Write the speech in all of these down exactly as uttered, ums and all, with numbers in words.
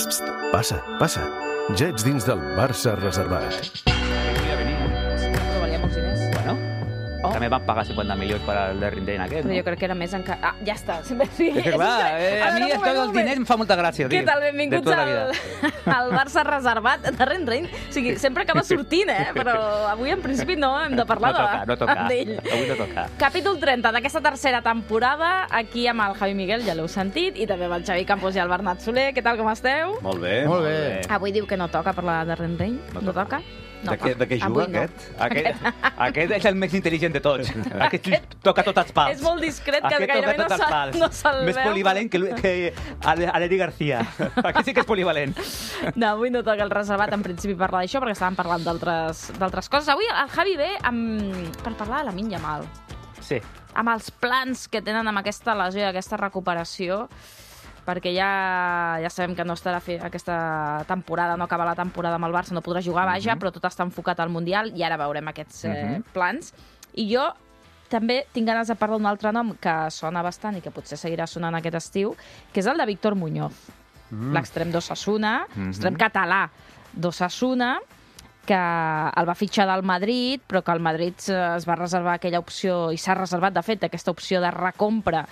Psst, passa, passa. Ja ets dins del Barça reservat. Però valia molts diners. Bueno, Oh. també van pagar cinquanta milions per al Derrin Dane aquest, Però no? jo crec que era més encara... Ah, ja està. Sempre... Sí, És que clar, eh, a mi veure, un esto moment, dels un moment. diners em fa molta gràcia, Què tio. tal? De Benvinguts tota la al, vida. al Barça reservat de Ren Rein. O sigui, sempre acaba sortint, eh? Però avui, en principi, no hem de parlar No toca, no toca. d'ell. Avui no toca. Capítol trenta d'aquesta tercera temporada, aquí amb el Javi Miguel, ja l'heu sentit, i també amb el Xavi Campos i el Bernat Soler. Què tal, com esteu? Molt bé. Molt bé. Avui diu que no toca parlar de Ren Rein. No, No toca? No De què, de què Avui juga, no. aquest? Aquest, aquest és el més intel·ligent de tots. Aquest toca tots els pals. És molt discret, que Aquest gairebé toca no tots els se'l pals. no se Més veu. polivalent que, Lu- que Aleri García. Aquest sí que és polivalent. No, avui no toca el reservat, en principi, parlar d'això, perquè estàvem parlant d'altres d'altres coses. Avui el Javi ve amb... per parlar de la Lamine Yamal, Sí. amb els plans que tenen amb aquesta lesió i aquesta recuperació, perquè ja ja sabem que no estarà fer aquesta temporada, no acaba la temporada amb el Barça, no podrà jugar, vaja, però tot està enfocat al Mundial i ara veurem aquests eh, plans. I jo també tinc ganes de parlar d'un altre nom que sona bastant i que potser seguirà sonant aquest estiu, que és el de Víctor Muñoz, mm. l'extrem d'Osasuna, Mhm. extrem català d'Osasuna, que el va fitxar del Madrid, però que el Madrid eh, es va reservar aquella opció, i s'ha reservat, de fet, aquesta opció de recompra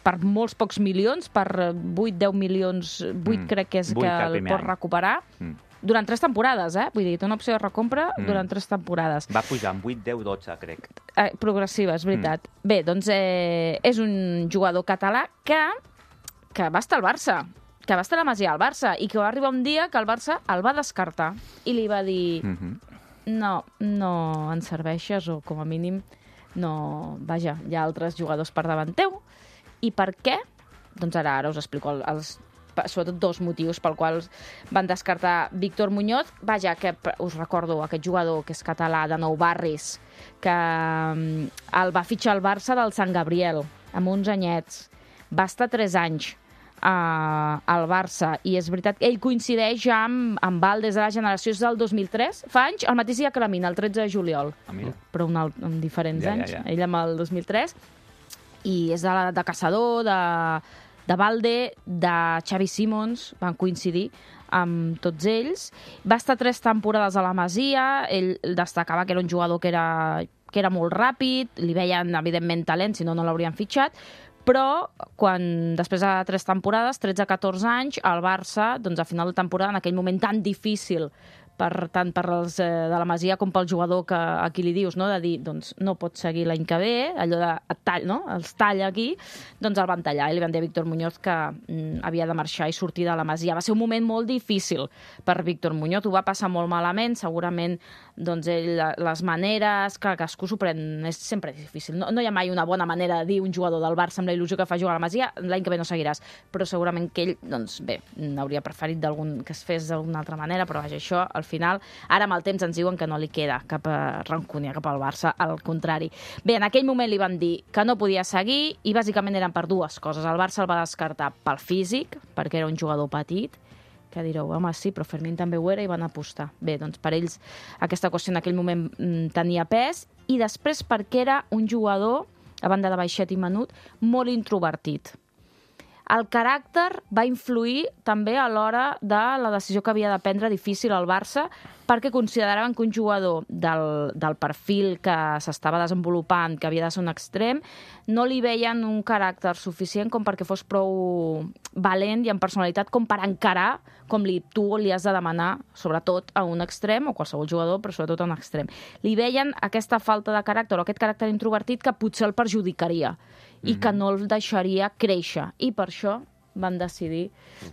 per molts pocs milions, per vuit deu milions, vuit Mm. crec que és Vuit que el el primer pot any. recuperar, Mm. durant tres temporades, eh? Vull dir, té una opció de recompra Mm. durant tres temporades. Va pujar amb vuit, deu, dotze, crec. Eh, progressiva, és veritat. Mm. Bé, doncs eh, és un jugador català que, que va estar al Barça, que va estar a la Masia al Barça, i que va arribar un dia que el Barça el va descartar i li va dir Mhm. no, no ens serveixes, o com a mínim no... Vaja, hi ha altres jugadors per davant teu. I per què? Doncs ara ara us explico el, els, sobretot dos motius pel quals van descartar Víctor Muñoz. Vaja, que us recordo, aquest jugador que és català de Nou Barris, que mm, el va fitxar el Barça del Sant Gabriel, amb uns anyets. Va estar tres anys uh, al Barça, i és veritat que ell coincideix ja amb, amb Val des de la generació és del dos mil tres, fa anys, el mateix dia que la Mina, el tretze de juliol, Ah, mira. però un alt, amb diferents Ja, ja, anys, ja. ell amb el dos mil tres, i és de, la, de Caçador, de, de Valde, de Xavi Simons, van coincidir amb tots ells. Va estar tres temporades a la Masia, ell destacava que era un jugador que era, que era molt ràpid, li veien, evidentment, talent, si no, no l'haurien fitxat, però quan després de tres temporades, tretze a catorze anys, el Barça, doncs a final de temporada, en aquell moment tan difícil, per, tant per als eh, de la Masia com pel jugador que a qui li dius, no? De dir, doncs no pots seguir l'any que ve, allò de et tall, no? Els talla aquí, doncs el van tallar i li van dir a Víctor Muñoz que mm, havia de marxar i sortir de la Masia. Va ser un moment molt difícil per Víctor Muñoz, ho va passar molt malament, segurament doncs ell, les maneres, clar, cadascú s'ho pren, és sempre difícil. No, no hi ha mai una bona manera de dir un jugador del Barça amb la il·lusió que fa jugar a la Masia, l'any que ve no seguiràs, però segurament que ell, doncs bé, hauria preferit d'algun que es fes d'alguna altra manera, però vaja, això al final, ara amb el temps ens diuen que no li queda cap rancúnia cap al Barça, al contrari. Bé, en aquell moment li van dir que no podia seguir i bàsicament eren per dues coses. El Barça el va descartar pel físic, perquè era un jugador petit, que direu, home, sí, però Fermín també ho era i van apostar. Bé, doncs per ells aquesta qüestió en aquell moment mm, tenia pes, i després perquè era un jugador, a banda de baixet i menut, molt introvertit. El caràcter va influir també a l'hora de la decisió que havia de prendre difícil al Barça, perquè consideraven que un jugador del, del perfil que s'estava desenvolupant, que havia de ser un extrem, no li veien un caràcter suficient com perquè fos prou valent i amb personalitat com per encarar com li, tu li has de demanar, sobretot a un extrem, o qualsevol jugador, però sobretot a un extrem. Li veien aquesta falta de caràcter o aquest caràcter introvertit que potser el perjudicaria i que no el deixaria créixer. I per això van decidir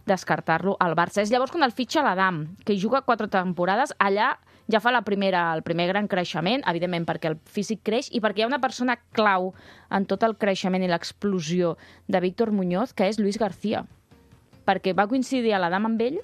descartar-lo al Barça. És llavors quan el fitxa l'Adam, que hi juga quatre temporades, allà ja fa la primera, el primer gran creixement, evidentment perquè el físic creix i perquè hi ha una persona clau en tot el creixement i l'explosió de Víctor Muñoz, que és Luis García. Perquè va coincidir a l'Adam amb ell,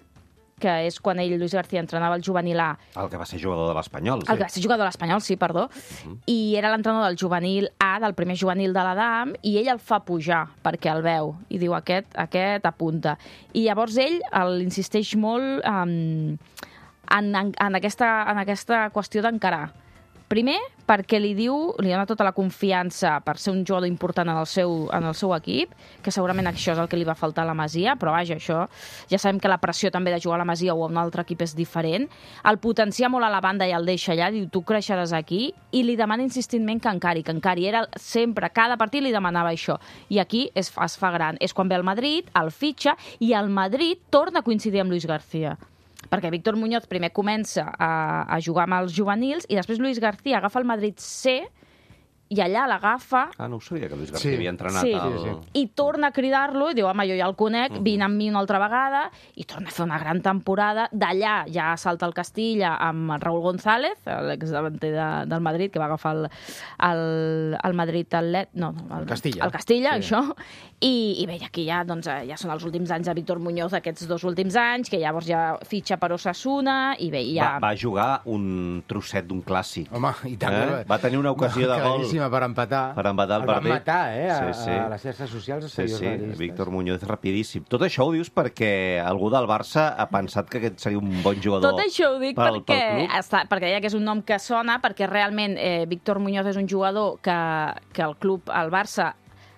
que és quan ell, Luis García, entrenava el juvenil A. El que va ser jugador de l'Espanyol. El que va ser jugador de l'Espanyol, sí, perdó. Uh-huh. I era l'entrenador del juvenil A, del primer juvenil de l'Adam, i ell el fa pujar, perquè el veu. I diu, aquest, aquest apunta. I llavors ell insisteix molt um, en, en, en, aquesta, en aquesta qüestió d'encarar. Primer, perquè li diu, li dona tota la confiança per ser un jugador important en el seu, en el seu equip, que segurament això és el que li va faltar a la Masia, però vaja, això, ja sabem que la pressió també de jugar a la Masia o a un altre equip és diferent. El potencia molt a la banda i el deixa allà, diu, tu creixeràs aquí, i li demana insistentment que encari, que encari. Era sempre, cada partit li demanava això. I aquí es fa, es fa gran. És quan ve el Madrid, el fitxa, i el Madrid torna a coincidir amb Luis García. Perquè Víctor Muñoz primer comença a, a jugar amb els juvenils i després Luis García agafa el Madrid C i allà l'agafa... Ah, no ho sabia, que Luis García Sí. havia entrenat Sí. al... Sí, sí. I torna a cridar-lo i diu, home, jo ja el conec, vine amb mi una altra vegada, i torna a fer una gran temporada. D'allà ja salta el Castilla amb Raúl González, l'exdavanter de, del Madrid, que va agafar el, el, el Madrid Atlet... No, no, el Castilla. El Castilla, Sí. això. I, I bé, aquí ja, doncs, ja són els últims anys de Víctor Muñoz, aquests dos últims anys, que llavors ja fitxa per Osasuna, i bé, ja... Va, va jugar un trosset d'un clàssic. Home, i tant. Eh? Va tenir una ocasió de gol. Claríssima per empatar. Per empatar el el van partit. matar, eh? A, Sí, sí. a les xarxes socials. Sí, sí, seriosistes. Víctor Muñoz és rapidíssim. Tot això ho dius perquè algú del Barça ha pensat que aquest seria un bon jugador. Tot això ho dic pel, perquè, pel club. està, perquè deia que és un nom que sona, perquè realment eh, Víctor Muñoz és un jugador que, que el club, el Barça,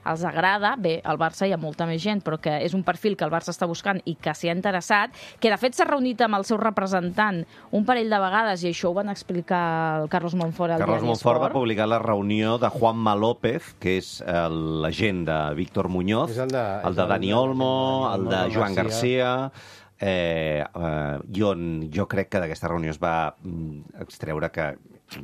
els agrada. Bé, al Barça hi ha molta més gent, però que és un perfil que el Barça està buscant i que s'hi ha interessat, que de fet s'ha reunit amb el seu representant un parell de vegades, i això ho van explicar el Carlos Montfort al Carlos diari Montfort va Esport. publicar la reunió de Juanma López, que és eh, l'agent de Víctor Muñoz, És el de- el és de el Dani de- Olmo, el de Olmo, Joan García. Garcia... Eh, eh, jo, jo crec que d'aquesta reunió es va mm, extreure que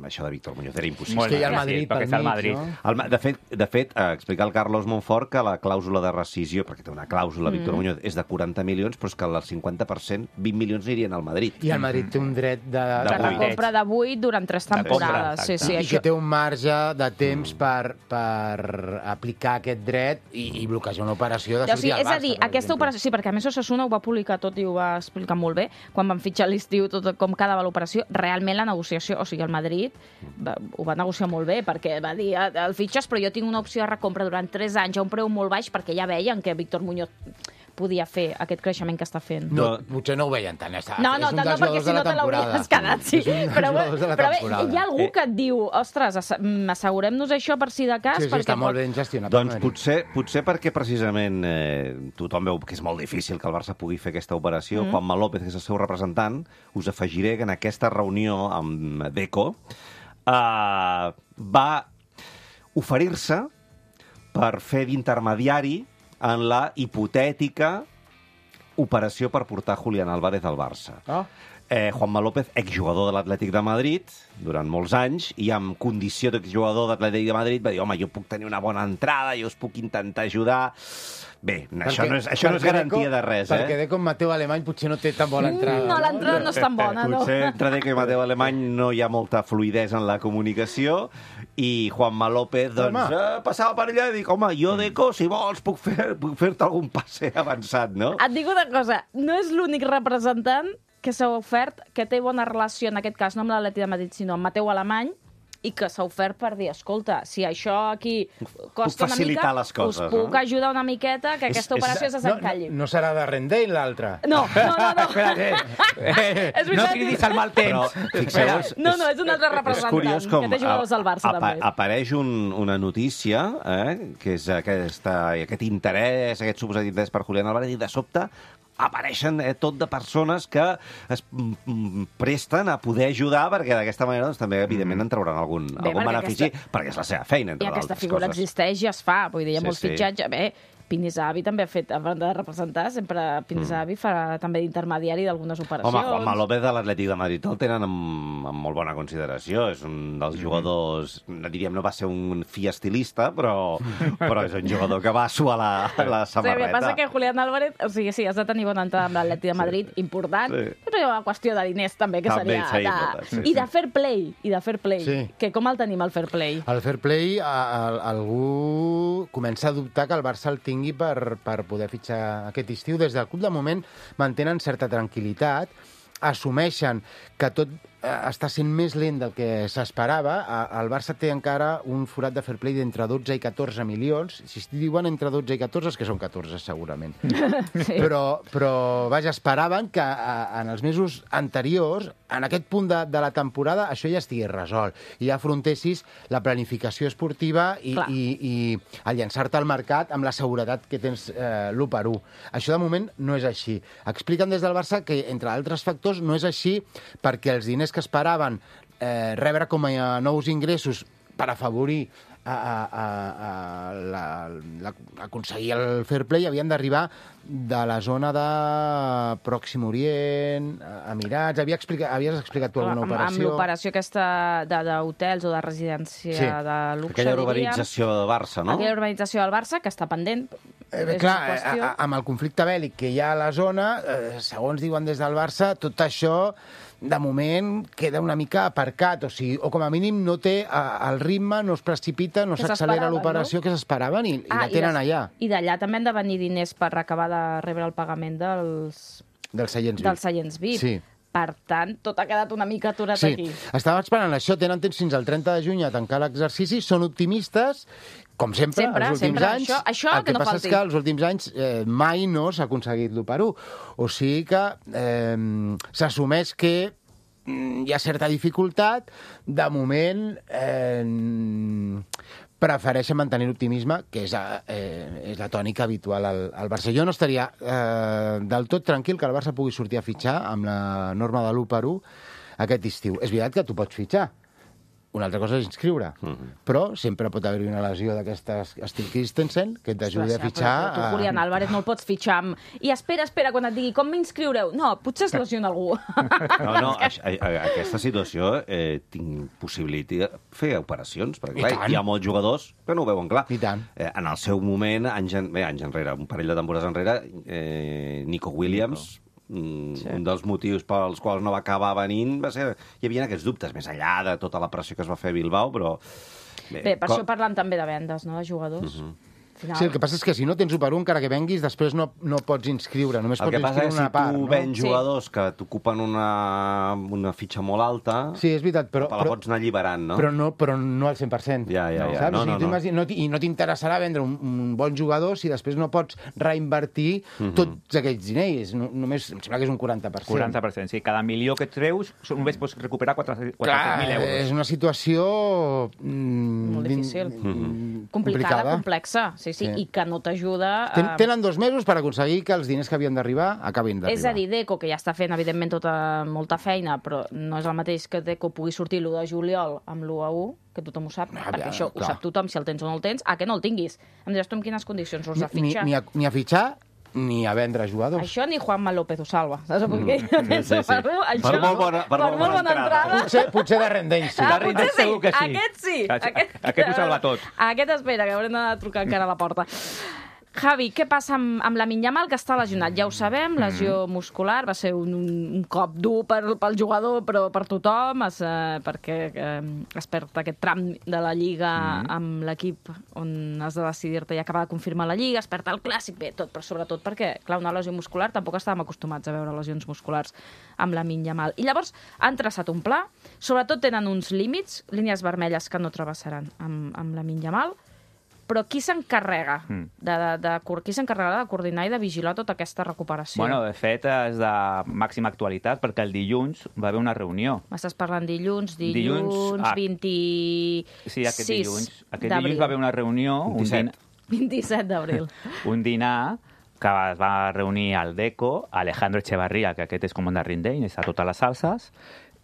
això de Víctor Muñoz era impossible. És que hi ha el Madrid sí, perquè pel està el mig, Madrid. no? El, Ma- de fet, de fet eh, explicar al Carlos Montfort que la clàusula de rescisió, perquè té una clàusula, Mm. Víctor Muñoz, és de quaranta milions, però és que el cinquanta per cent, vint milions anirien al Madrid. I el Madrid té un dret de... De De la vuit. compra de vuit durant tres compra, temporades. Sí, exacte. sí, I això... que té un marge de temps per, per aplicar aquest dret i, i bloquejar una operació de O sortir sigui, al és Barça, a dir, per aquesta exemple. operació... Sí, perquè a més Osasuna ho va publicar tot i ho va explicar molt bé, quan van fitxar a l'estiu tot com quedava l'operació. Realment la negociació, o sigui, el Madrid va, ho va negociar molt bé, perquè va dir, el fitxes, però jo tinc una opció de recompra durant tres anys a un preu molt baix, perquè ja veien que Víctor Muñoz podia fer aquest creixement que està fent. No, potser no ho veien tant. Està, No, no, és un tant no, dels perquè jugadors si de la no te l'hauries temporada. quedat, sí. És un dels Però, jugadors de la però bé, temporada. hi ha algú que et diu, ostres, ass- mm, assegurem-nos això per si de cas, Sí, sí, perquè està molt pot... ben gestionat. Doncs el Madrid. potser, potser perquè precisament eh, tothom veu que és molt difícil que el Barça pugui fer aquesta operació. Mm. Juanma López, que és el seu representant, us afegiré que en aquesta reunió amb Deco eh, va oferir-se per fer d'intermediari en la hipotètica operació per portar Julián Álvarez al Barça. Ah. Eh, Juanma López, exjugador de l'Atlètic de Madrid, durant molts anys, i amb condició d'exjugador de l'Atlètic de Madrid va dir, home, jo puc tenir una bona entrada, jo us puc intentar ajudar... Bé, això no és, això no és perquè garantia Deco- de res, Perquè eh? Deco amb Mateu Alemany potser no té tan bona entrada. No, l'entrada no és tan bona, no. Potser entre Deco i Mateu Alemany no hi ha molta fluidesa en la comunicació i Juanma López, doncs, Home. eh, passava per allà i dic, home, jo, Deco, si vols, puc fer- puc fer-te algun passe avançat, no? Et dic una cosa, no és l'únic representant que s'ha ofert, que té bona relació, en aquest cas, no amb l'Atlètic de Madrid, sinó amb Mateu Alemany, i que s'ha ofert per dir, escolta, si això aquí costa una facilitar mica, les coses, us puc no? ajudar una miqueta que És- aquesta és- operació se No, no, s'encalli. no serà de Rendell, l'altre? No, no, no. no. Espera't, eh? És No veritat. cridis al mal Però, temps. fixeu-vos... No, no, és un altre representant, que té jugadors al Barça, apa- també. Apareix un, una notícia, eh, que és aquesta, aquest interès, aquest suposat interès per Julián Álvarez, i de sobte apareixen eh, tot de persones que es mm, mm, presten a poder ajudar, perquè d'aquesta manera doncs, també, evidentment, en trauran algun, Bé, algun perquè benefici, aquesta- perquè és la seva feina, I entre aquesta altres figura coses. existeix i es fa. Vull dir, hi ha Sí, molts sí. fitxatges. Bé, Pinizavi també ha fet, a banda de representar, sempre Pinizavi farà també d'intermediari d'algunes operacions. Home, Juanma López de l'Atlètic de Madrid el tenen amb, amb molt bona consideració. És un dels jugadors, no diríem, no va ser un fi estilista, però, però és un jugador que va suar la, la Sí, el que samarreta. passa que Julián Álvarez, o sigui, sí, has de tenir bona entrada amb l'Atlètic de Madrid, important, Sí. però hi ha una qüestió de diners també, que També seria... seria de... important, sí, I sí. de fair play, i de fair play. Sí. Que com el tenim, el fair play? El fair play, a, a, algú comença a dubtar que el Barça el tingui per, per poder fitxar aquest estiu. Des del club, de moment, mantenen certa tranquil·litat, assumeixen que tot està sent més lent del que s'esperava. El Barça té encara un forat de fair play d'entre dotze i catorze milions. Si es diuen entre dotze i catorze, és que són catorze, segurament. Sí. Però, però, vaja, esperaven que en els mesos anteriors, en aquest punt de, de la temporada, això ja estigués resolt. I ja afrontessis la planificació esportiva i, i, i el llançar-te al mercat amb la seguretat que tens eh, l'u per u. Això, de moment, no és així. Expliquen des del Barça que, entre altres factors, no és així perquè els diners que esperaven eh, rebre com a nous ingressos per afavorir a, a, a, a la, la, aconseguir el fair play havien d'arribar de la zona de Pròxim Orient, Emirats... Havia explicat, havies explicat tu alguna amb, operació? Amb l'operació aquesta d'hotels o de residència sí. de luxe, aquella urbanització del Barça, no? Aquella urbanització del Barça, que està pendent. Eh, clar, a, a, amb el conflicte bèl·lic que hi ha a la zona, eh, segons diuen des del Barça, tot això de moment queda una mica aparcat, o sigui, o com a mínim no té el ritme, no es precipita, no s'accelera l'operació no? que s'esperaven i, ah, i la tenen i allà. I d'allà també han de venir diners per acabar de rebre el pagament dels... Dels seients V I P. Dels seients V I P. Sí. Per tant, tot ha quedat una mica aturat sí. aquí. Estava esperant això, tenen temps fins al trenta de juny a tancar l'exercici, són optimistes, com sempre, sempre els últims sempre. anys. Això, això el que, que no passa falti. És que els últims anys eh, mai no s'ha aconseguit l'u per u. O sigui que eh, s'assumeix que hi ha certa dificultat. De moment, eh, prefereixen mantenir l'optimisme, que és, eh, és la tònica habitual al, al Barça. Jo no estaria eh, del tot tranquil que el Barça pugui sortir a fitxar amb la norma de l'u per u aquest estiu. És veritat que tu pots fitxar. Una altra cosa és inscriure. Uh-huh. Però sempre pot haver-hi una lesió d'aquestes estil Christensen que t'ajudi a fitxar... Però, però tu, Julián Álvarez, no el pots fitxar amb... I espera, espera, quan et digui com m'inscriureu. No, potser es lesiona algú. No, no, a, a, a aquesta situació eh, tinc possibilitat de fer operacions, perquè clar, hi ha molts jugadors que no ho veuen clar. I tant. Eh, en el seu moment, anys, en, bé, anys enrere, un parell de temporades enrere, eh, Nico Williams... Nico. Mm, sí. Un dels motius pels quals no va acabar venint va ser... Hi havia aquests dubtes, més enllà de tota la pressió que es va fer a Bilbao, però... Bé, Bé per com... això parlen també de vendes, no?, de jugadors. Uh-huh. Final... Sí, el que passa és que si no tens u per u, encara que venguis, després no, no pots inscriure, només el pots inscriure una part. El que passa és que si tu vens no? jugadors sí. que t'ocupen una, una fitxa molt alta, sí, és veritat, però, te la pots anar alliberant, no? Però no, però no al cent per cent. Ja, ja, ja. Saps? No, no, no, no. no I no t'interessarà vendre un, un bon jugador si després no pots reinvertir uh-huh. tots aquells diners. No, només, em sembla que és un quaranta per cent. quaranta per cent, sí. Cada milió que et treus només pots recuperar quatre-cents mil euros. És una situació... Mm, molt difícil. Mm-hmm. Complicada, complicada, complexa, sí, sí, sí, i que no t'ajuda... Ten, tenen dos mesos per aconseguir que els diners que havien d'arribar acabin d'arribar. És a dir, Deco, que ja està fent, evidentment, tota, molta feina, però no és el mateix que Deco pugui sortir l'u de juliol amb l'u a u, que tothom ho sap, ah, perquè això clar. Ho sap tothom, si el tens o no el tens, a que no el tinguis. Em diràs tu en quines condicions us de fitxar? Ni, ni, a, ni a fitxar, ni a vendre jugadors. Això ni Juanma López ho salva, saps? Perquè mm. sí, sí, sí. Per, això, per molt bona, per per molt bona entrada. entrada. Potser, potser de Rendell, sí. Ah, de Rendell sí. segur que sí. Aquest sí. Aquest, aquest ho salva tot. Aquest espera, que haurem de trucar encara a la porta. Javi, què passa amb, amb Lamine Yamal, que està lesionat? Ja ho sabem, lesió muscular, va ser un, un cop dur per, pel jugador, però per tothom, es, eh, perquè eh, es perd aquest tram de la Lliga mm. amb l'equip on has de decidir-te i acabar de confirmar la Lliga, es perd el Clàssic, bé, tot, però sobretot perquè, clar, una lesió muscular, tampoc estàvem acostumats a veure lesions musculars amb Lamine Yamal. I llavors han traçat un pla, sobretot tenen uns límits, línies vermelles que no travessaran amb, amb Lamine Yamal, però qui s'encarrega mm. de, de, de, qui s'encarregarà de coordinar i de vigilar tota aquesta recuperació? Bueno, de fet, és de màxima actualitat, perquè el dilluns va haver una reunió. M'estàs parlant dilluns, dilluns, dilluns ah, vint-i-sis sí, aquest dilluns. Aquest dilluns va haver una reunió... vint-i-set. vint-i-set d'abril. Un dinar que es va reunir al Deco, Alejandro Echevarría, que aquest és comandant Rindell, està a totes les salses,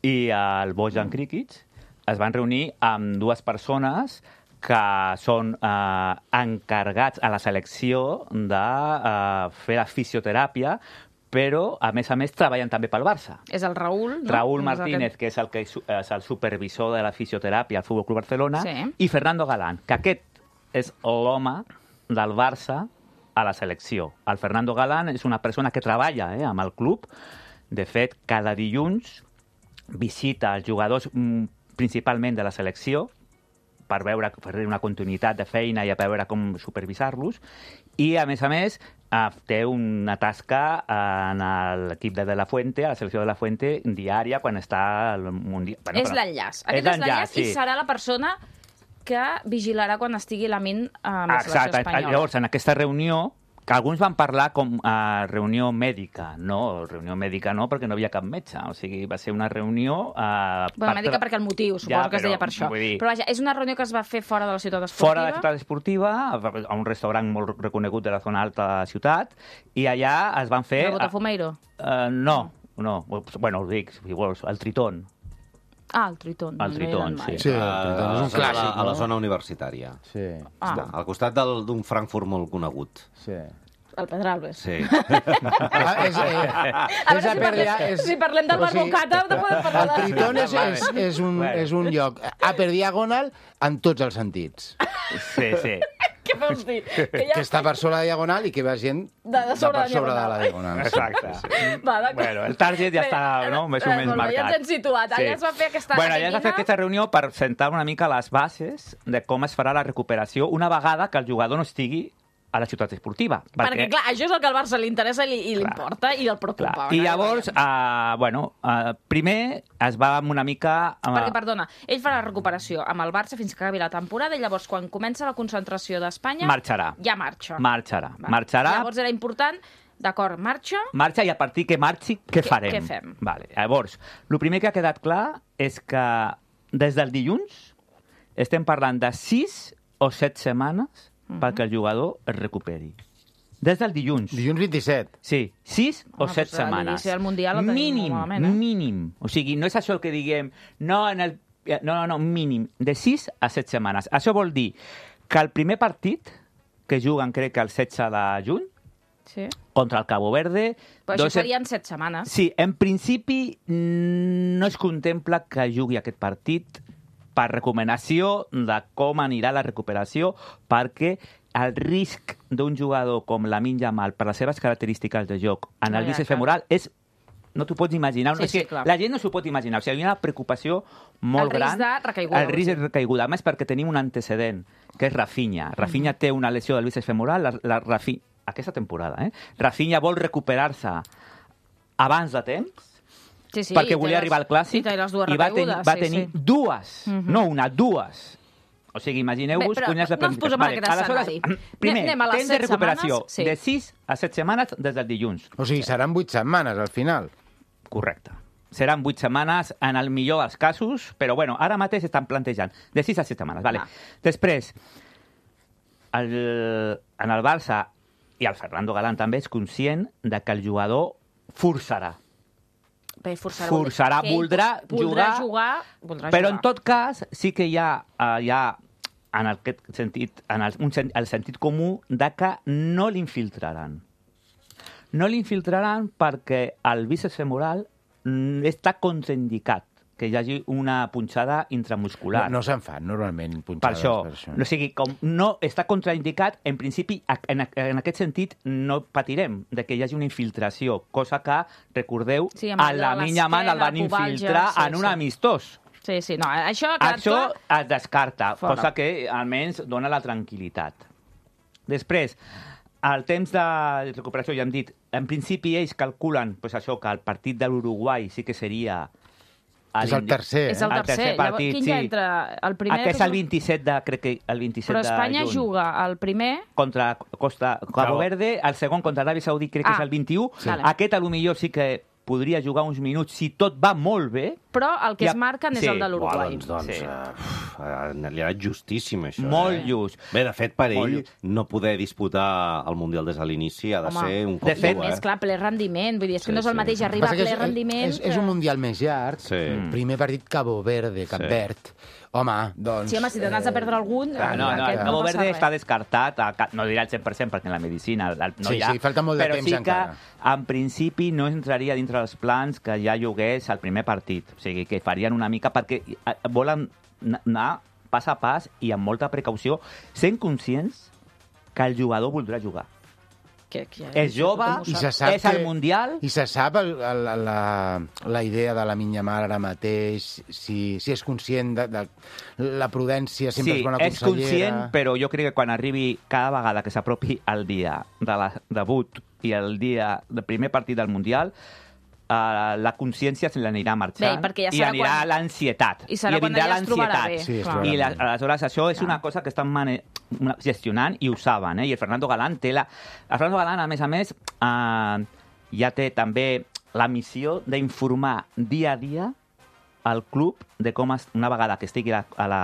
i el Bojan Krikic. Es van reunir amb dues persones que són eh, encarregats a la selecció de eh, fer la fisioteràpia, però, a més a més, treballen també pel Barça. És el Raúl, no? Raúl Martínez, que és el, que és el supervisor de la fisioteràpia al Futbol Club Barcelona, sí. I Fernando Galán, que aquest és l'home del Barça a la selecció. El Fernando Galán és una persona que treballa eh, amb el club. De fet, cada dilluns visita els jugadors principalment de la selecció, per veure, per una continuïtat de feina i a veure com supervisar-los. I, a més a més, eh, té una tasca en l'equip de De La Fuente, a la selecció de La Fuente, diària, quan està al Mundial. Bueno, és però... l'enllaç. Aquest és l'enllaç sí. I serà la persona que vigilarà quan estigui Lamin amb la selecció Exacte. espanyola. Llavors, en aquesta reunió, que alguns van parlar com a reunió mèdica. No, reunió mèdica no, perquè no havia cap metge. O sigui, va ser una reunió... Eh, bueno, mèdica perquè el motiu, suposo ja, que es deia per això. Dir, però vaja, és una reunió que es va fer fora de la ciutat esportiva? Fora de la ciutat esportiva, a un restaurant molt reconegut de la zona alta de la ciutat, i allà es van fer... El Botafumeiro? Uh, no, no. Bueno, ho dic, si vols, el Tritón. Ah, el Tritón. El Tritón, sí. Sí, el Tritón és un clàssic, a, a la zona universitària. Sí. Ah. Està, al costat d'un Frankfurt molt conegut. Sí. El Pedralbes. Sí. Ah, és, eh, a veure, és si, parlem, és, si parlem del Bar Bocata, no podem parlar el de... Tritón és, és, és, un, és un lloc a per diagonal en tots els sentits. Sí, sí. Què vols dir? Que, ja... que està per sobre la diagonal i que va gent de, de, sobre, de per sobre de la diagonal. Exacte. Va, bueno, el target ja està no, més o menys marcat. Ja ens hem situat. Allà sí. es va fer aquesta... Bueno, allà es va fer aquesta reunió per sentar una mica les bases de com es farà la recuperació una vegada que el jugador no estigui a la ciutat esportiva. Perquè, perquè clar, això és el que al Barça li interessa i, i li importa i el preocupa. Clar. I llavors, uh, bueno, uh, primer es va amb una mica... Uh... Perquè, perdona, ell farà la recuperació amb el Barça fins que acabi la temporada i llavors, quan comença la concentració d'Espanya... Marxarà. Ja marxa. Marxarà. Va. Marxarà. Llavors era important, d'acord, marxa... Marxa i a partir que marxi, què farem? Què fem? Vale. Llavors, el primer que ha quedat clar és que des del dilluns estem parlant de sis o set setmanes perquè el jugador es recuperi. Des del dilluns. Dilluns vint-i-set. Sí, sis o ah, set pues setmanes. L'inici del Mundial el tenim mínim, molt malament, eh? Mínim. O sigui, no és això el que diguem... No, en el... no, no, no, mínim. De sis a set setmanes. Això vol dir que el primer partit, que juguen crec que el setze de juny, sí. contra el Cabo Verde... Però això serien set setmanes. Sí, en principi no es contempla que jugui aquest partit per recomanació de com anirà la recuperació, perquè el risc d'un jugador com Lamine Yamal, per les seves característiques de joc, en el bíceps femoral, és... No t'ho pots imaginar. Sí, és que sí, la gent no s'ho pot imaginar. O sigui, hi ha una preocupació molt gran. El risc de recaiguda. El risc de recaiguda. A més, perquè tenim un antecedent, que és Rafinha. Rafinha mm. té una lesió del bíceps femoral, la, la Rafi... aquesta temporada, eh? Rafinha vol recuperar-se abans de temps, sí, sí, perquè volia les, arribar al Clàssic i, i va, ten, va sí, tenir sí. dues, mm-hmm. no una, dues. O sigui, imagineu-vos... Bé, però no ens posem vale, en aquest escenari. Primer, anem a les temps de recuperació setmanes, sí. de sis a set setmanes des del dilluns. O sigui, seran vuit setmanes al final. Correcte. Seran vuit setmanes en el millor dels casos, però bueno, ara mateix estan plantejant de sis a set setmanes. Vale. Ah. Després, el, en el Barça i el Fernando Galán també és conscient de que el jugador forçarà. Bé, forçarà, forçarà voldrà, voldrà jugar, jugar voldrà però jugar. En tot cas sí que hi ha, uh, hi ha en aquest sentit, en el, un, el sentit comú de que no l'infiltraran. No l'infiltraran perquè el bíceps femoral està contraindicat que hi hagi una punxada intramuscular. No, no se'n fan normalment punxades per això. per això. O sigui, com no està contraindicat, en principi, en, en aquest sentit, no patirem de que hi hagi una infiltració, cosa que, recordeu, sí, a la Lamine Yamal el van infiltrar sí, en un sí. amistós. Sí, sí, no, això ha Això clar... es descarta, Fora. cosa que almenys dona la tranquil·litat. Després, el temps de recuperació, ja hem dit, en principi ells calculen pues, això que el partit de l'Uruguai sí que seria... És el tercer, eh? És el tercer. El tercer partit, Llavors, quin sí. ja entra? El primer... Aquest és el vint-i-set de, crec que el vint-i-set Però Espanya de juny. juga el primer... Contra Costa Cabo Verde, el segon contra Aràbia Saudí crec que ah, és el vint-i-u. Sí. Aquest, a lo millor, sí que podria jugar uns minuts si tot va molt bé. Però el que ja... es marquen és sí. el de l'Uruguai. Doncs, doncs Sí. uh, li ha anat justíssim, això. Molt eh? just. Bé, de fet, per Molt ell, just. no poder disputar el Mundial des de l'inici ha de Home, ser un cop de fet, dur, eh? És clar, ple rendiment. Vull dir, és que Sí, no és el sí. mateix arribar a ple és, rendiment... és, és un Mundial més llarg. Sí. Primer partit Cabo Verde, Cap Sí. Verd. Home, doncs... Sí, home, si te n'has de perdre algun... Ah, no, no, el aquest Cabo passa Verde res. està descartat, a, no dirà el cent per cent perquè en la medicina no Sí, hi ha, sí, falta molt de però temps sí encara. que en principi no entraria dintre dels plans que ja jugués el primer partit. O sigui, que farien una mica perquè volen anar pas a pas i amb molta precaució, sent conscients que el jugador voldrà jugar. Que, que, és jove, I se sap és al que- Mundial... I se sap el, el, la, la idea de la Minyamar ara mateix, si, si és conscient de, de la prudència, sempre sí, és bona és consellera... conscient, però jo crec que quan arribi cada vegada que s'apropi el dia de la debut i el dia del primer partit del Mundial, Uh, la consciència se l'anirà marxant. Bé, perquè ja i serà anirà quan- l'ansietat. I serà I quan vindrà ella es trobarà l'ansietat. bé. Sí, es clar. trobarà I la, bé. aleshores això és una cosa que estan mane... una- gestionant i ho saben, eh? I el Fernando Galán té la... El Fernando Galán, a més a més, uh, ja té també la missió d'informar dia a dia al club de com, es, una vegada que estigui a, a, la,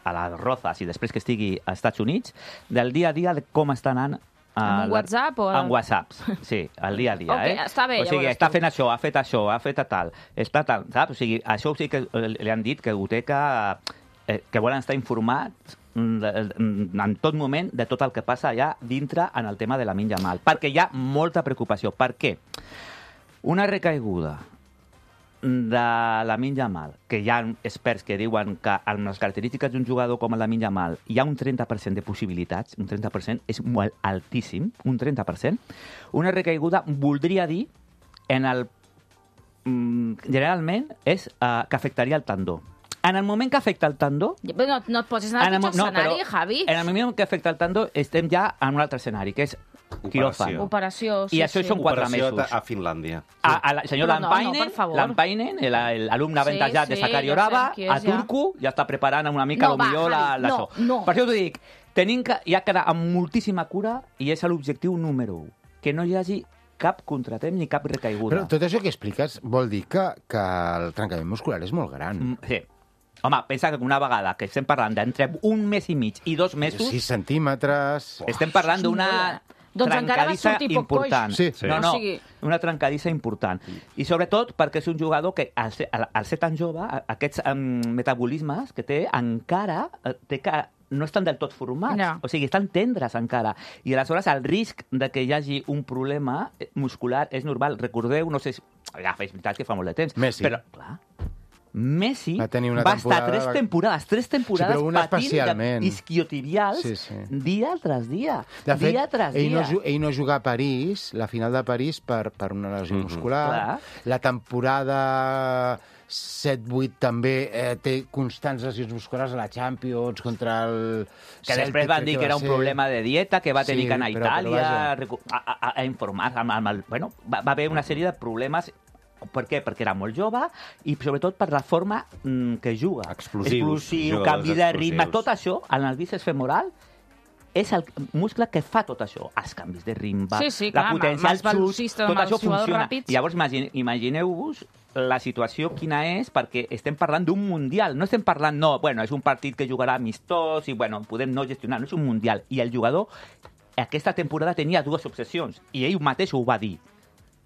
a les Rozas i després que estigui als Estats Units, del dia a dia de com està anant Amb un la- WhatsApp o- Amb WhatsApps, sí, al dia a dia, Ok, eh? està bé, O sigui, llavors, està tu. fent això, ha fet això, ha fet tal, està tal, saps? O sigui, això sí que eh, li han dit que Goteca, eh, que volen estar informats mm, de- mm, en tot moment de tot el que passa allà dintre en el tema de la Lamine Yamal, perquè hi ha molta preocupació. Per què? Una recaiguda de la Lamine Yamal, que hi ha experts que diuen que amb les característiques d'un jugador com el Lamine Yamal hi ha un trenta per cent de possibilitats, un trenta per cent és molt altíssim, un trenta per cent, una recaiguda voldria dir en el mm, generalment és uh, que afectaria el tendó. En el moment que afecta el tendó, Però no, no et posis en el en el, pitjor mo- no, escenari, però Javi. en el moment que afecta el tendó estem ja en un altre escenari, que és quiròfan. Operació, sí, I això sí. són quatre Operació mesos. a Finlàndia. A, a la, senyor Però no, no, Lampainen, per favor. Lampainen, el- el- l'alumne Sí, avantatjat de sí, Sakari ja Orava, sabem qui és, a ja. Turku, ja està preparant una mica, No, va, millor la, Javi, la no, so. no. Per això t'ho dic, tenim que, hi ha que anar amb moltíssima cura i és l'objectiu número un, que no hi hagi cap contratemp ni cap recaiguda. Però tot això que expliques vol dir que, que el trencament muscular és molt gran. Mm, Sí. Home, pensa que una vegada que estem parlant d'entre un mes i mig i dos mesos, sis centímetres... estem parlant d'una Doncs encara va trencadissa sortir poc important. coix. Sí, sí. No, no, O sigui- una trencadissa important. I sobretot perquè és un jugador que, al ser, al, al ser tan jove, a- aquests um, metabolismes que té, encara eh, té que no estan del tot formats. No. O sigui, estan tendres encara. I aleshores el risc de que hi hagi un problema muscular és normal. Recordeu, no sé si... Ja, és veritat que fa molt de temps. Messi. Però, clar, Messi Va tenir una va estar temporada- tres temporades, tres temporades Sí, però una patint especialment. isquiotibials Sí, sí. dia tras dia. De fet, dia tras ell dia. no, ju- ell no juga a París, la final de París, per, per una lesió Mhm. muscular. Clar. La temporada set vuit també eh, té constants lesions musculars a la Champions contra el Que Celtic, després van crec dir que va era un ser. problema de dieta, que va tenir Sí, que anar a però- però Itàlia vaja. a, recu- a, a, a informar amb, amb el... Bueno, va, va haver una sèrie de problemes. Per què? Perquè era molt jove i sobretot per la forma mm, que juga. Explosius, Explosiu, jugadors canvi de ritme, explosius. tot això, en el bíceps femoral, és el muscle que fa tot això. Els canvis de ritme, Sí, sí, la clar, potència, amb el els xut, velocistes, tot amb això els jugadors funciona. ràpids. Llavors, imagine, imagineu-vos la situació quina és, perquè estem parlant d'un mundial. No estem parlant, no, bueno, és un partit que jugarà amistós i, bueno, podem no gestionar. No és un mundial. I el jugador, aquesta temporada, tenia dues obsessions. I ell mateix ho va dir.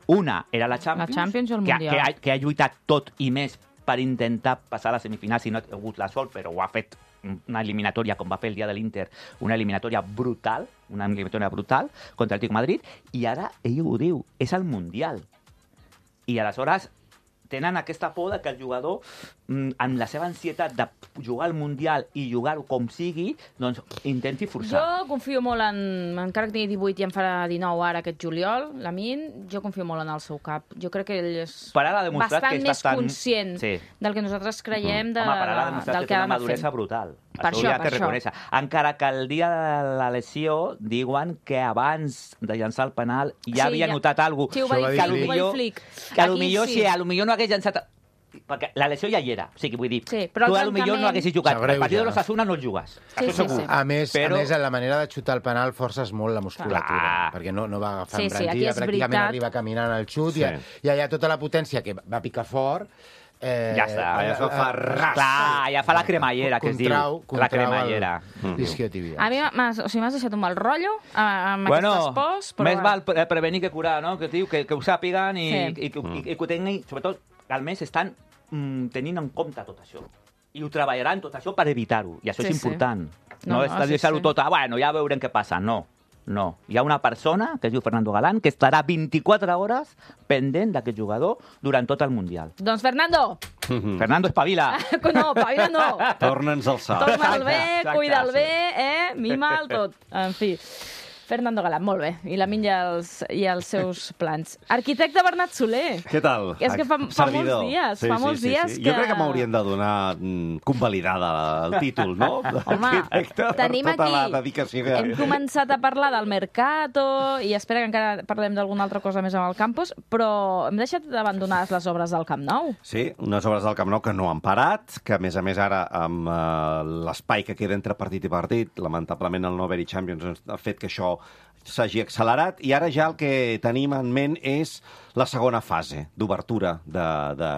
Una era la Champions, La Champions o el que, Mundial. que, ha, que ha lluitat tot i més per intentar passar a la semifinal, si no ha hagut la sort, però ho ha fet una eliminatòria, com va fer el dia de l'Inter, una eliminatòria brutal, una eliminatòria brutal contra el Atlético de Madrid, i ara ell ho diu, és el Mundial. I aleshores tenen aquesta por de que el jugador, mm, amb la seva ansietat de jugar al Mundial i jugar-ho com sigui, doncs intenti forçar. Jo confio molt en... Encara que tingui divuit i en farà dinou ara aquest juliol, Lamine, jo confio molt en el seu cap. Jo crec que ell és Per ara ha demostrat bastant que està més tan- conscient Sí. del que nosaltres creiem de, Home, per ara ha demostrat del que que té ha una d'anar maduresa fent. brutal. Per això això, hi ha per que això. reconèixer. Encara que el dia de la lesió diuen que abans de llançar el penal ja Sí, havia ja- notat alguna cosa. Sí, ho va Això ho dir va que dir Flick, ho va dir potser, Flick. que a lo Aquí millor, sí. sí, a lo millor no hagués llançat... Perquè la lesió ja hi era. O sigui, vull dir, Sí, però tu el a lo millor no trencament- haguessis jugat. S'agreuja. El partit de l'Osasuna no el jugues. Sí, Això sí, segur. sí. A més, Però- a més, en la manera de xutar el penal forces molt la musculatura, Clar. perquè no, no va agafar Sí, sí, sí, aquí embranzida, és pràcticament veritat. arriba caminant al xut, Sí. i, i allà tota la potència que va picar fort... Eh, Ja està. Allà se'l fa ras. Clar, ja fa la cremallera, que es diu. Contrau- La contrau cremallera. el isquiotibial. A mi m'has o sigui, m'has deixat un mal rotllo eh, amb Bueno, aquestes pors, però... més val pre- prevenir que curar, no? Que, tio, que, que ho sàpiguen i, Sí. i, i, i, i que ho tinguin, sobretot, al mes estan mm, tenint en compte tot això. I ho treballaran tot això per evitar-ho. I això Sí, és sí. important. No, No, no, és sí, deixar-ho sí. tot a, bueno, ja veurem què passa. No, no. Hi ha una persona, que es diu Fernando Galán, que estarà vint-i-quatre hores pendent d'aquest jugador durant tot el Mundial. Doncs, Fernando, Fernando, espavila! no, pavila no. Torna'ns al salt. Torna'l bé, Exacte, cuida'l sí. bé, eh? Mima'l tot. En fi. Fernando Galán, molt bé. I la Min i els, i els seus plans. Arquitecte Bernat Soler. Què tal? És que fa, fa molts dies, sí, fa sí, molts sí, dies sí. que... Jo crec que m'haurien de donar mm, convalidada el títol, no? Home, tenim per tota aquí... la dedicació que... Hem començat a parlar del Mercato i espera que encara parlem d'alguna altra cosa més amb el campus, però hem deixat abandonades les obres del Camp Nou. Sí, unes obres del Camp Nou que no han parat, que a més a més ara amb eh, l'espai que queda entre partit i partit, lamentablement el no haver-hi Champions ha fet que això s'hagi accelerat, i ara ja el que tenim en ment és la segona fase d'obertura de, de,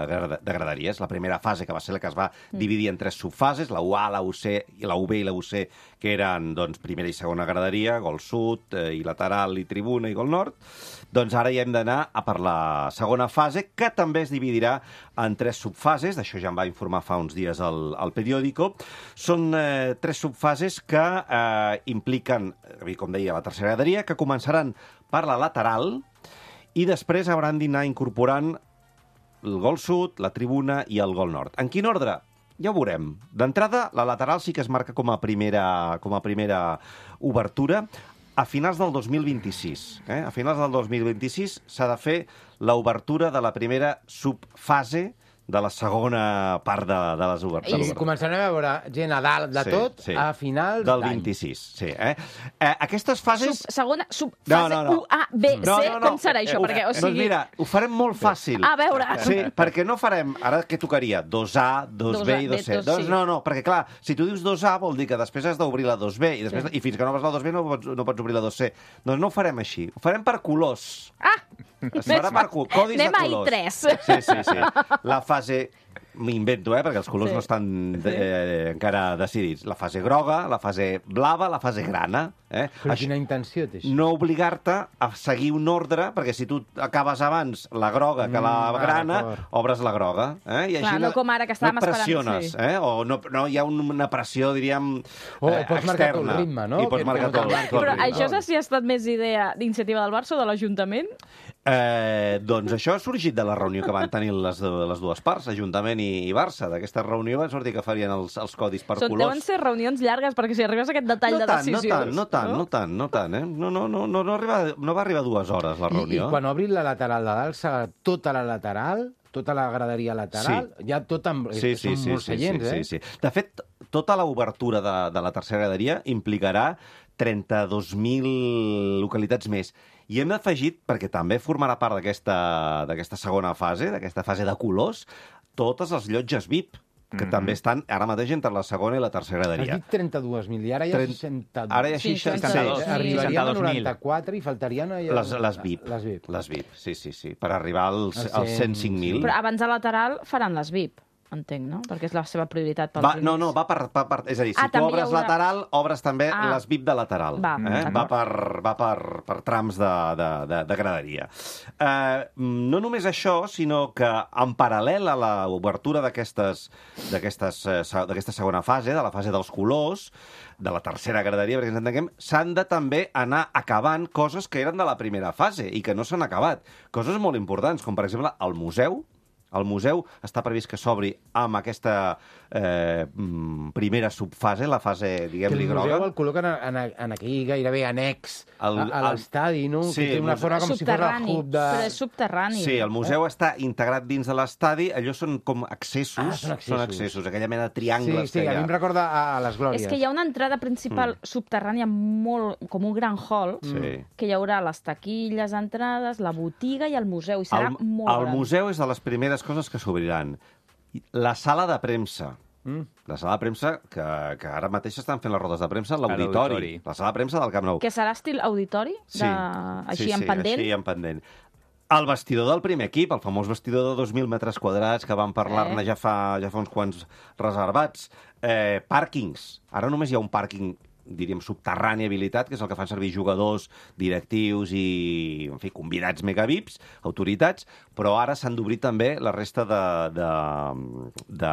de graderies. La primera fase, que va ser la que es va dividir en tres subfases, la U A, la U C, i la U B i la U C, que eren doncs, primera i segona graderia, gol sud, eh, i lateral, i tribuna, i gol nord. Doncs ara ja hem d'anar a per la segona fase, que també es dividirà en tres subfases, d'això ja em va informar fa uns dies el, el periòdico. Són eh, tres subfases que eh, impliquen, com deia, la tercera graderia, que començaran per la lateral, i després hauran d'anar incorporant el gol sud, la tribuna i el gol nord. En quin ordre? Ja ho veurem. D'entrada, la lateral sí que es marca com a primera, com a primera obertura a finals del dos mil vint-i-sis. Eh? A finals del dos mil vint-i-sis s'ha de fer l'obertura de la primera subfase de la segona part de, de les obertures. I començarem a veure gent a dalt de Sí, tot sí. a finals Del d'any. vint-i-sis, sí. Eh? Eh, aquestes fases... Sub, segona, subfase No, no, no. U, A, B, C, No, no, no. com serà això? Ho- Perquè, o Doncs sigui... mira, ho farem molt fàcil. A veure. Sí, perquè no farem... Ara què tocaria? dos A, dos B i dos C. dos, Doncs sí. no, no, perquè clar, si tu dius dos A vol dir que després has d'obrir la dos B i, després, Sí. i fins que no vas la dos B no pots, no pots obrir la dos C. Doncs no ho farem així. Ho farem per colors. Ah! Es farà per co- codis Anem de a I colors. tres. Sí, sí, sí. La fase... M'invento, eh, perquè els colors Sí. no estan eh, encara decidits. La fase groga, la fase blava, la fase grana. Eh? Però Això- quina intenció té això? no obligar-te a seguir un ordre, perquè si tu acabes abans la groga que la Mm, ah, grana, d'acord. obres la groga. Eh? I Clar, no com ara, que estàvem no et pressiones, esperant, sí. eh? O no, no hi ha un- una pressió, diríem, O eh, pots marcar tu el externa. ritme, no? I pots Que marcar no tu el, te'n tu el Però ritme. això saps si ha estat més idea d'iniciativa del Barça o de l'Ajuntament? Eh, doncs això ha sorgit de la reunió que van tenir les, les dues parts, Ajuntament i, i Barça. D'aquesta reunió van sortir que farien els, els codis per Són, colors. deuen ser reunions llargues, perquè si arribes a aquest detall no de tant, no decisions... tant, no tant, no tant, no tant, eh? No, no, no, no, no, arriba, no va arribar a dues hores la I, I reunió. quan obrin la lateral de dalt, serà tota la lateral, tota la graderia lateral, Sí. ja tot amb... Sí, sí, són sí, molts sí, seients, sí, eh? sí, sí. De fet, tota l'obertura de, de la tercera graderia implicarà trenta-dos mil localitats més. I hem afegit, perquè també formarà part d'aquesta d'aquesta segona fase, d'aquesta fase de colors, totes les llotges V I P, que Mhm. també estan ara mateix entre la segona i la tercera Has graderia. dit trenta-dos mil i ara hi ha Trent- seixanta-dos. Ara hi ha Sí, seixanta-dos. seixanta-dos. Arribaríem a seixanta-dos mil. noranta-quatre i faltarien... allà- Les, les V I P. Les V I P. Les V I P, sí, sí, sí. Per arribar als, Els als cent cinc mil. Però abans de lateral faran les V I P, entenc, no? Perquè és la seva prioritat pels Va, primers. no, no, va per, va per... És a dir, si Ah, tu també hi obres haurà- lateral, obres també Ah. les V I P de lateral. Va, eh? d'acord. va, per, va per, per trams de, de, de, de graderia. Eh, no només això, sinó que en paral·lel a l'obertura d'aquestes d'aquestes, eh, se- d'aquesta segona fase, de la fase dels colors, de la tercera graderia, perquè ens entenguem, s'han de també anar acabant coses que eren de la primera fase i que no s'han acabat. Coses molt importants, com per exemple el museu. El museu està previst que s'obri amb aquesta eh, mm, primera subfase, la fase, Que diguem-li, el museu groga. el col·loquen en, en, en aquell gairebé annex El- a, a l'estadi, no? Sí, que té el una museu- forma com si fos el Subterrani, hub de... però és subterrani. Sí, el museu està integrat dins de l'estadi. Allò són com accessos. Ah, són accessos. Són accessos, aquella mena de Sí, triangles sí, que hi a ha. mi em recorda a, a les Glòries. És que hi ha una entrada principal subterrània molt, com un gran hall, Sí. que hi haurà les taquilles, entrades, la botiga i el museu, i serà El, molt el gran. museu és de les primeres coses que s'obriran. La sala de premsa. Mm. La sala de premsa, que, que ara mateix estan fent les rodes de premsa a A l'auditori. l'auditori. La sala de premsa del Camp Nou. Que serà estil auditori? De... Sí, Així sí, en sí, pendent? Així en pendent. El vestidor del primer equip, el famós vestidor de dos mil metres quadrats, que vam parlar-ne Eh. ja, fa, ja fa uns quants reservats. Eh, pàrquings. Ara només hi ha un pàrquing, diríem, subterrani habilitat, que és el que fan servir jugadors, directius i, en fi, convidats megavips, autoritats, però ara s'han d'obrir també la resta de, de, de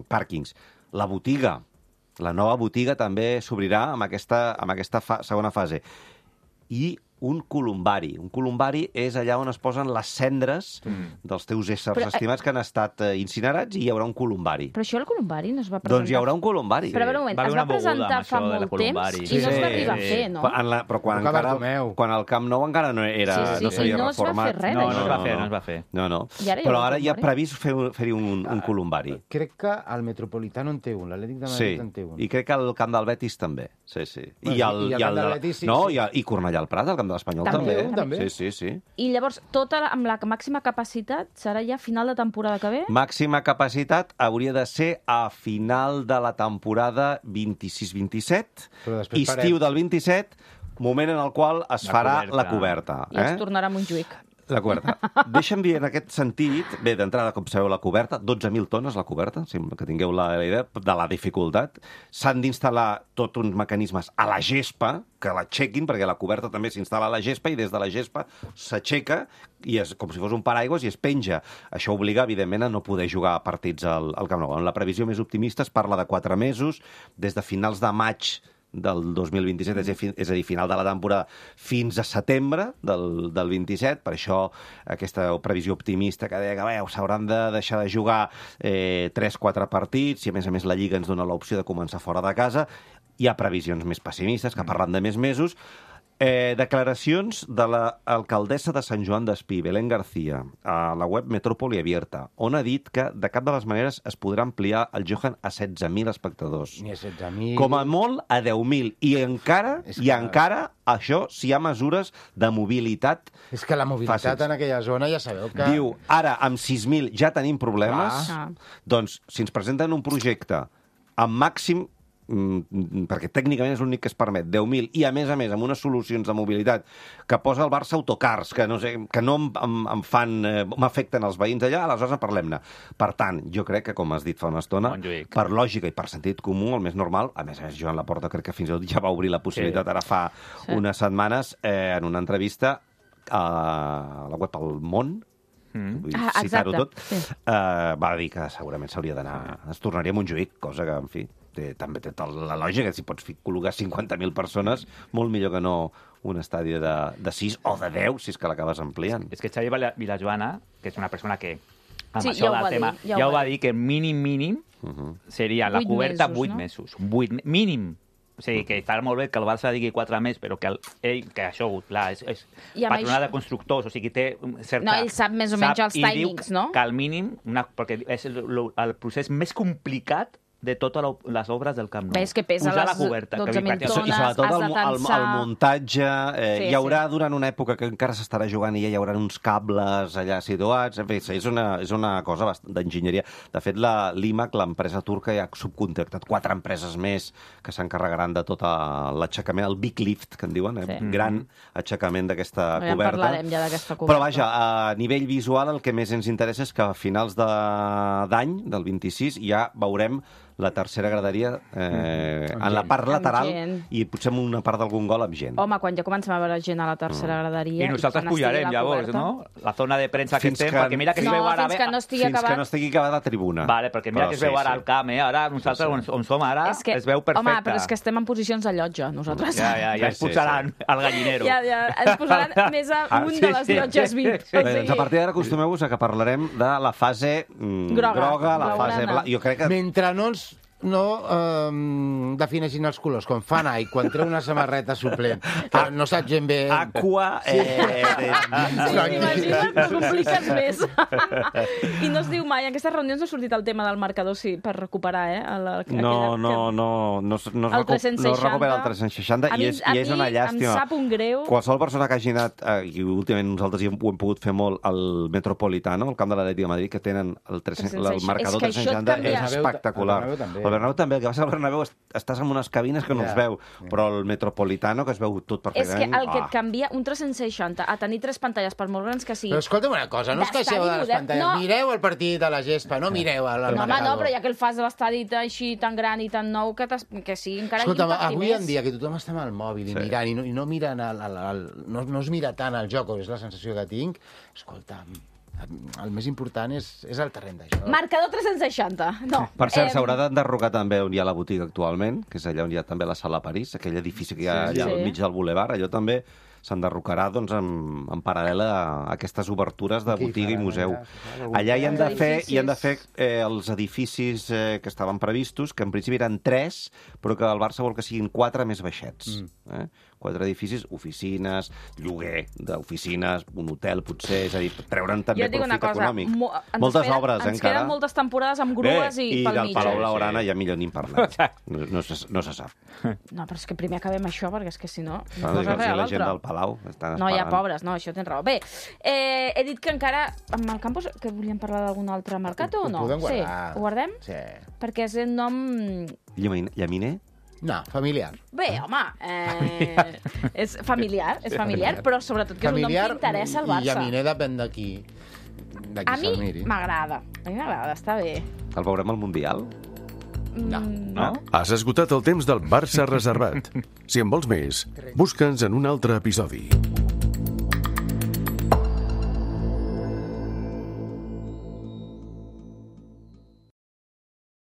pàrquings. La botiga. La nova botiga també s'obrirà amb aquesta, amb aquesta fa segona fase. I un columbari. Un columbari és allà on es posen les cendres mm. dels teus éssers però, estimats que han estat eh, incinerats i hi haurà un columbari. Però això el columbari no es va presentar... Doncs hi haurà un columbari. Però, però un moment, es va presentar fa molt temps i no es va arribar a fer, no? En la, però quan, encara, quan el Camp Nou encara no era, sí, sí, no s'havia no reformat. Es va fer res, no, no es va fer, no es va fer. No, no. Ara però ara hi ha previst fer-hi fer un, un columbari. Crec que el Metropolitano en té un, l'Atlètic de Madrid sí. en té un. I crec que el Camp del Betis també. Sí, sí. Bueno, I el, i el, i el, Camp del Betis, sí, no, sí. I, el, i Cornellà al Prat, el Camp de l'Espanyol també. També, també. Sí, sí, sí. I llavors, tota la, amb la màxima capacitat serà ja a final de temporada que ve? Màxima capacitat hauria de ser a final de la temporada vint-i-sis vint-i-set, estiu del vint-i-set, moment en el qual es la farà coberta. la coberta. I eh? es tornarà a Montjuïc. La coberta. Deixa'm dir en aquest sentit, bé, d'entrada, com sabeu, la coberta, dotze mil tones la coberta, que tingueu la, la idea de la dificultat. S'han d'instal·lar tots uns mecanismes a la gespa, que l'aixequin, perquè la coberta també s'instal·la a la gespa i des de la gespa s'aixeca i és com si fos un paraigües i es penja. Això obliga, evidentment, a no poder jugar partits al, al Camp Nou. En la previsió més optimista es parla de quatre mesos, des de finals de maig del dos mil vint-i-set, és a dir, final de la temporada, fins a setembre del, del vint-i-set. Per això aquesta previsió optimista que deia que s'hauran de deixar de jugar eh, tres quatre partits i, a més a més, la Lliga ens dona l'opció de començar fora de casa. Hi ha previsions més pessimistes que parlen de més mesos. Eh, declaracions de l'alcaldessa de Sant Joan d'Espí, Belén García, a la web Metrópoli Abierta, on ha dit que de cap de les maneres es podrà ampliar el Johan a setze mil espectadors. Ni a setze mil... Com a molt a deu mil. I encara, és i que... encara això, si hi ha mesures de mobilitat... És que la mobilitat fàcils. En aquella zona ja sabeu que... Diu, ara amb sis mil ja tenim problemes, ah. doncs si ens presenten un projecte amb màxim perquè tècnicament és l'únic que es permet, deu mil, i a més a més amb unes solucions de mobilitat que posa el Barça autocars, que no, sé, que no em, em fan, eh, m'afecten els veïns allà, aleshores en parlem-ne. Per tant, jo crec que, com has dit fa una estona, Montjuïc. Per lògica i per sentit comú, el més normal, a més a més, Joan Laporta crec que fins i tot ja va obrir la possibilitat, sí. ara fa sí. unes setmanes, eh, en una entrevista a la web El Món, Mm. vull ah, citar-ho tot, sí. eh, va dir que segurament s'hauria d'anar... Es tornaria a Montjuïc, cosa que, en fi, té, també té tota la lògica. Si pots col·locar cinquanta mil persones, molt millor que no un estadi de, de sis o de deu, si és que l'acabes ampliant. És que Xavi Vilajoana, que és una persona que amb sí, això ja del tema, dir, ja, ja ho va dir, que mínim, mínim, uh-huh. seria la coberta vuit mesos. vuit mínim. O sigui, que està molt bé que el Barça digui quatre més, però que el, ell, que això, clar, és, és patronat això... de constructors, o sigui, té certa... No, ell sap més o menys els timings, no? Que al mínim, una, perquè és el, el procés més complicat de totes les obres del Camp Nou. Ves que pesa Posar les la coberta, dotze mil que tones, i sobretot has el, de tensar... el, el muntatge, eh, sí, hi haurà sí. durant una època que encara s'estarà jugant i ja hi haurà uns cables allà situats, en fi, és una, és una cosa d'enginyeria. De fet, la l'IMAC, l'empresa turca, ja ha subcontractat quatre empreses més que s'encarregaran de tot l'aixecament, el big lift, que en diuen, eh? Sí. gran aixecament d'aquesta ja coberta. parlarem ja d'aquesta coberta. Però vaja, a nivell visual el que més ens interessa és que a finals d'any, del vint-i-sis, ja veurem la tercera graderia eh, en la part lateral i potser en una part d'algun gol amb gent. Home, quan ja comencem a veure gent a la tercera mm. graderia... I nosaltres pujarem, llavors, no? La zona de premsa que estem, que... perquè mira que es no, veu ara... fins que no estigui fins acabat. que no estigui acabada la tribuna. Vale, perquè mira però que es veu sí, ara sí. al camp, eh? Ara nosaltres, sí, sí. On, on som ara, es, que... es veu perfecte. Home, però és que estem en posicions de llotja, nosaltres. Ja, ja, ja ens posaran sí, sí. al gallinero. Ja, ja, ens posaran més a un ah, sí, de les llotges V I P. Sí. Bé, doncs a partir d'ara acostumeu-vos a que parlarem de la fase mm, groga, groga, la fase blanca. Jo crec que... Mentre no ens no um, defineixin els colors, com fa Nike, quan treu una samarreta suplent, que no saps gent bé... Aqua... Eh, eh, sí, imagina't, no compliques més. I no es diu mai, en aquestes reunions no ha sortit el tema del marcador, sí, per recuperar, eh? El, aquella, no, no, no, no, es, no, es recu no es recupera el tres-cents seixanta i és, i és una llàstima. Em sap un greu. Qualsevol persona que hagi anat, eh, i últimament nosaltres hi ho hem pogut fer molt, al Metropolitano, al camp de l'Atlètic de Madrid, que tenen el, tres-cents, el marcador tres-cents seixanta, és espectacular. El Bernabéu també, el que passa al Bernabéu estàs en unes cabines que no yeah. es veu, yeah. però el Metropolitano, que es veu tot perfectament... És que el que et canvia un tres-cents seixanta a tenir tres pantalles, per molt grans que siguin... Però escolta'm una cosa, no us queixeu de les pantalles, no. mireu el partit a la gespa, no mireu al no, marcador. No, però ja que el fas de l'estadi així tan gran i tan nou, que, que sí, encara escolta'm, impacti avui més. en dia que tothom està amb el mòbil i sí. mirant, i no, i no, miren el, el, el, no, no es mira tant el joc, és la sensació que tinc, escolta'm, el més important és, és el terreny de joc. Marcador tres-cents seixanta. No. Per cert, eh... s'haurà d'enderrocar també on hi ha la botiga actualment, que és allà on hi ha també la Sala París, aquell edifici que hi ha sí, allà sí. al mig del bulevard, allò també s'enderrocarà doncs, en, en paral·lel a aquestes obertures de Aquí botiga i faran museu. allà, Allà hi han de fer, edificis. hi han de fer eh, els edificis eh, que estaven previstos, que en principi eren tres, però que el Barça vol que siguin quatre més baixets. Mm. Eh? Quatre edificis, oficines, lloguer d'oficines, un hotel, potser, és a dir, treure'n també Jo et dic profit una cosa, econòmic. mo- ens Moltes esperen- obres, ens encara. queden moltes temporades amb grues Bé, i, i pel del mig. Palau eh? Blaugrana ja millor ni en parlem. No, no, se, no se sap. No, però és que primer acabem això, perquè és que si no, No, una cosa la rere gent del l'altra. Palau estan No, ja, esperant. pobres, no, això tens raó. Bé, eh, he dit que encara, amb el campus, que volíem parlar d'algun altre mercat o Ho no? podem Sí, guardar. ho guardem? Sí. Perquè és un nom... Llaminer? Llaminer? No, familiar. Bé, home, eh, és familiar, és familiar, però sobretot que és un nom que interessa al i Barça. llaminer depèn de qui, de qui A mi se'l miri. m'agrada, a mi m'agrada, està bé. El veurem al Mundial? No. Mm, No? Has esgotat el temps del Barça reservat. Si en vols més, busca'ns en un altre episodi.